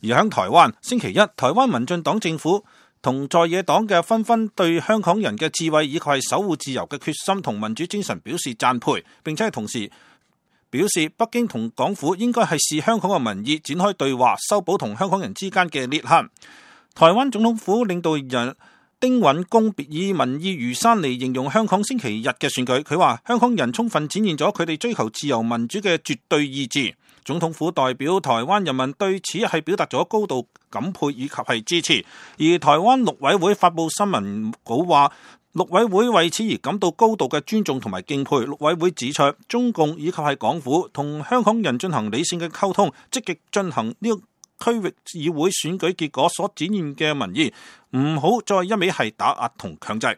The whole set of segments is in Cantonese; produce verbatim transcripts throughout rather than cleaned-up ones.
而喺台灣，星期一，台灣民進黨政府同在野黨嘅紛紛對香港人嘅智慧以及係守護自由嘅決心同民主精神表示讚佩，並且係同時表示北京同港府應該係視香港嘅民意展開對話，修補同香港人之間嘅裂痕。台灣總統府領導人丁允恭以民意如山嚟形容香港星期日嘅選舉，佢話香港人充分展現咗佢哋追求自由民主嘅絕對意志。總統府代表台灣人民對此係表達咗高度感佩以及係支持，而台灣陸委會發布新聞稿話，陸委會為此而感到高度嘅尊重同埋敬佩。陸委會指出，中共以及係港府同香港人進行理性嘅溝通，積極進行呢個區域議會選舉結果所展現嘅民意，唔好再一味係打壓同強制。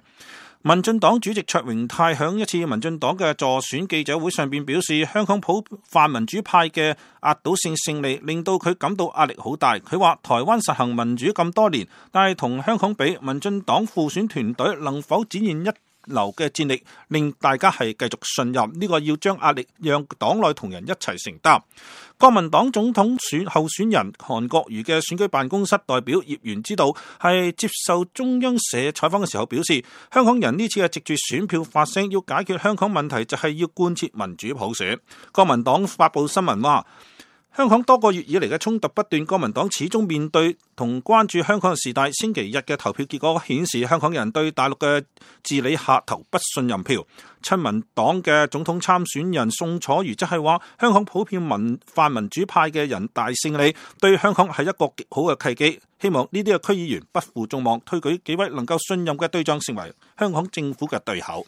民進黨主席卓榮泰響一次民進黨嘅助選記者會上邊表示，香港普泛民主派嘅壓倒性勝利令到佢感到壓力好大。佢話台灣實行民主咁多年，但係同香港比，民進黨輔選團隊能否展現一流嘅戰力，令大家係繼續信任，呢個要將壓力讓黨內同仁一齊承擔。國民黨總統選候選人韓國瑜嘅選舉辦公室代表葉元之道係接受中央社採訪嘅時候表示，香港人呢次係藉住選票發聲，要解決香港問題就係要貫徹民主普選。國民黨發布新聞話，香港多個月以嚟嘅衝突不斷，國民黨始終面對同關注香港嘅事態。星期日嘅投票結果顯示，香港人對大陸嘅治理下投不信任票。親民黨嘅總統參選人宋楚瑜則係話，香港普遍民泛民主派嘅人大勝利，對香港係一個極好嘅契機。希望呢啲嘅區議員不負眾望，推舉幾位能夠信任嘅對象成為香港政府嘅對口。